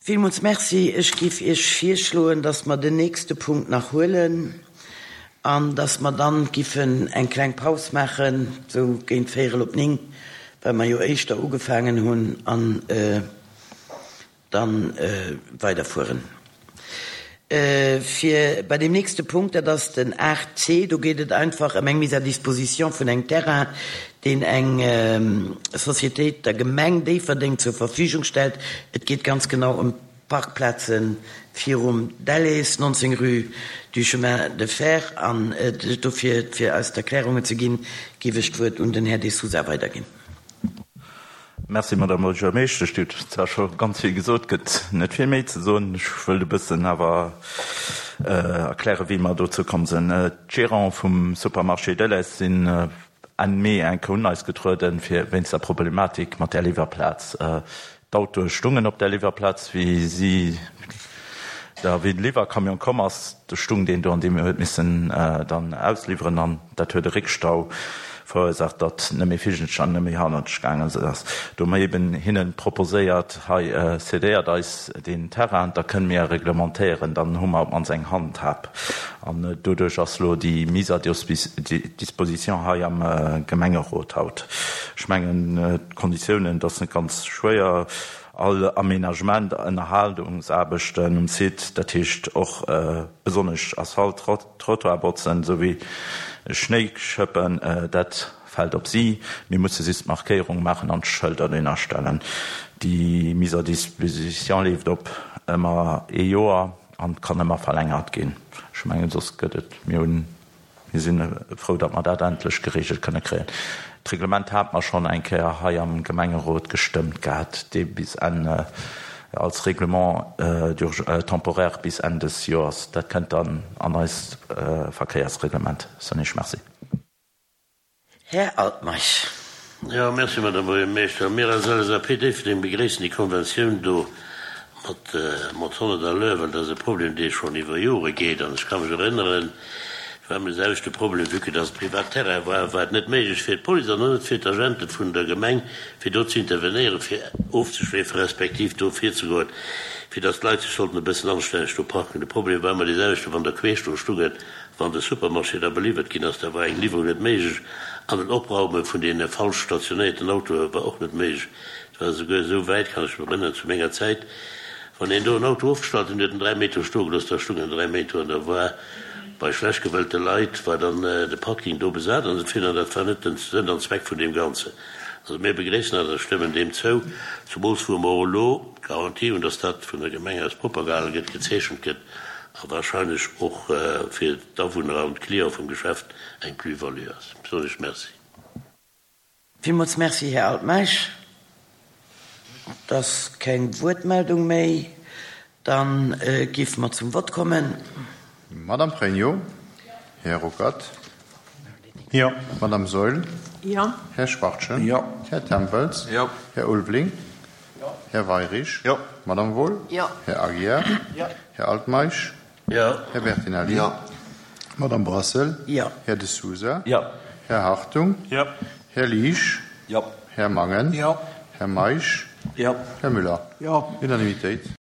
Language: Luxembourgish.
Villmools Merci. Ech géif Iech virschloen, dass mer den nächste Punkt nach huelen an dass mer dann giffen eng kleng Paus maachen, sou géint véierel op 9, well mer jo éischter ugefaangen hunn, an dann weiderfueren. Fir bei deem nächste Punkt, dat ass den 8c, do geet et einfach ëm eng Mise à disposition vun engem Terrain, deen eng Sociétéit der Gemeng Déifferdeng zur Verfügung stellt. Et geet ganz genau ëm d'Parkplaze virum Delhaize, 19 rue du Chemin de Fer. An dofir, fir eis d'Erklärungen ze ginn, géif ech d'Wuert un den Här De Sousa weiderginn. Merci, Madame Buergermeeschtesch. Dir hutt zwar scho ganz vill gesot, gëtt net vill méi ze soen. Ech wëllt e bëssen awer erklären, wéi mer dozou komm sinn. D'Gérants vum Supermarché Delhaize sinn Enn Mee eng Kéier un eis getrueden, fir wéinst der Problematik mat där Liwwerplaz. D'Autoe stungen op där Liwwerplaz, wéi si da wéi de Liwwercamion komm ass, do stung deen do an deem huet missen dann ausliwweren an dat huet e Réckstau verursaacht, datt net méi virgech an net méi hannerteg gaangen ass. Do hu mer eben hinnen proposéiert, hei cédéiert eis deen Terrain, da kënne mir reglementéieren, dann hu mer op d'mannst eng Handhab. An doduerch ass elo déi Mise à disposition hei am Gemengerot haut. Ech mengen, d'Konditiounen, dat ass net ganz schwéier. All Aménagement, Ënnerhalungsaarbechten um Site, dat heescht och besonnesch Asphalt, Trottoir botzen, souwéi Schnéi schëppen, dat fält op si. Mir musse just d'Markéierung maachen an d'Schëlder dohinner stellen. Déi Mise à disposition leeft op ëmmer ee Joer an kann ëmmer verlängert ginn. Ech mengen, soss gëtt et, mir hunn Mir si frou, datt mer dat endlech geregelt kënne kréien. D'Reglement hate mer schonn eng Kéier hei am Gemengerot gestëmmt gehat, dee bis Enn, als Règlement temporaire bis Enn des Joers. Dat kënnt dann an eist Verkéiersreglement. Soen ech Merci. Här Altmeisch. Jo, merci, Madame Buergermeeschter. Mir als LSAP Déifferdeng begréissen déi Konventioun do mat mat 100 à l'heure, well dat ass e Problem, dee schonn iwwer Jore geet. An ech ka mech erënneren, et war ëmmer de selwechte Problem, vue que dass et privat Terrain war, war et net méiglech fir d'Police an och net fir d'Agente vun der Gemeng, fir do ze intervenéieren, fir ofzeschleefen, respektiv do virzegoen, fir dass d'Leit sech sollten e bëssen anstänneg do parken. De Problem war ëmmer dee selwechten, wann der queesch do stungen, Wann de Supermarché da beliwwert ginn ass, da war eng Liwwerung net méiglech an den Opraume vun deene falsch stationéierten Autoe war och net méiglech. Et war esouguer esou wäit, kann ech mech erënneren, zu menger Zäit, wann een do en Auto ofgestallt huet, huet en 3 Méint do stoe gelooss, da stung en 3 Méint do an da war bei schlecht gewëllte Leit war dann de Parking do besat an esou virun an dat war net den Sënn an Zweck vun deem Ganzen. Also mir begréissen dat a stëmmen deem zou, zumools wou mer och elo d'Garantie hunn, dass dat vun der Gemeng aus propper gehale gëtt, gezeechent gëtt. A wahrscheinlech och fir d'Awunner an d'Cliente vum Geschäft eng Plus-value ass. Soen ech Merci. Villmools Merci, Här Altmeisch. Et ass keng Wuertmeldung méi. Da géife mer zum Vott kommen. Madame Pregno, Här Ruckert. Jo. Madame Saeul. Jo. Här Schwachtgen. Jo. Här Tempels. Jo. Här Ulveling. Jo. Här Weirich. Jo. Madame Wohl. Jo. Här Aguiar. Jo. Här Altmeisch. Jo. Här Bertinelli. Jo. Madame Brassel. Jo. Här De Sousa. Jo. Här Hartung. Jo. Här Liesch. Jo. Här Mangen. Jo. Här Meisch. Jo. Här Müller. Jo. Unanimitéit.